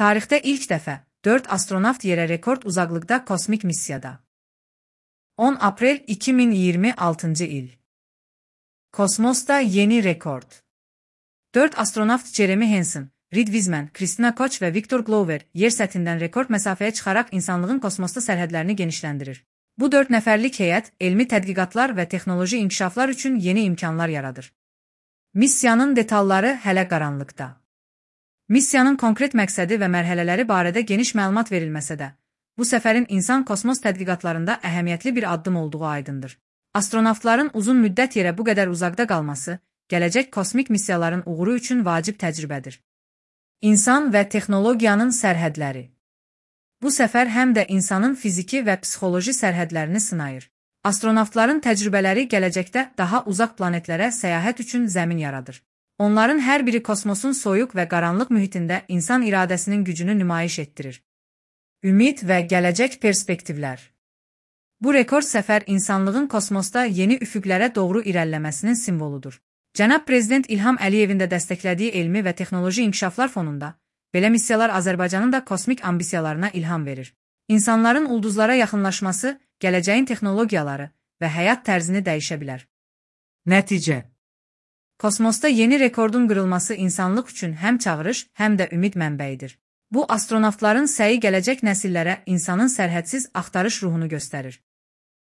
Tarixdə ilk dəfə 4 astronavt yerə rekord uzaqlıqda kosmik missiyada. 10 aprel 2026 il. Kosmosda yeni rekord. 4 astronavt Jeremy Hansen, Reed Wiseman, Christina Koch və Victor Glover yer səthindən rekord məsafəyə çıxaraq insanlığın kosmosda sərhədlərini genişləndirir. Bu 4 nəfərlik heyət elmi tədqiqatlar və texnoloji inkişaflar üçün yeni imkanlar yaradır. Missiyanın detalları hələ qaranlıqda. Missiyanın konkret məqsədi və mərhələləri barədə geniş məlumat verilməsə də, bu səfərin insan kosmos tədqiqatlarında əhəmiyyətli bir addım olduğu aydındır. Astronavtların uzun müddət yerə bu qədər uzaqda qalması, gələcək kosmik missiyaların uğuru üçün vacib təcrübədir. İnsan və texnologiyanın sərhədləri. Bu səfər həm də insanın fiziki və psixoloji sərhədlərini sınayır. Astronavtların təcrübələri gələcəkdə daha uzaq planetlərə səyahət üçün zəmin yaradır. Onların hər biri kosmosun soyuq və qaranlıq mühitində insan iradəsinin gücünü nümayiş etdirir. Ümid və gələcək perspektivlər. Bu rekord səfər insanlığın kosmosda yeni üfüqlərə doğru irəliləməsinin simvoludur. Cənab Prezident İlham Əliyevin də dəstəklədiyi elmi və texnoloji inkişaflar fonunda, belə missiyalar Azərbaycanın da kosmik ambisiyalarına ilham verir. İnsanların ulduzlara yaxınlaşması, gələcəyin texnologiyaları və həyat tərzini dəyişə bilər. Nəticə. Kosmosda yeni rekordun qırılması insanlıq üçün həm çağırış, həm də ümid mənbəyidir. Bu, astronavtların səyi gələcək nəsillərə insanın sərhədsiz axtarış ruhunu göstərir.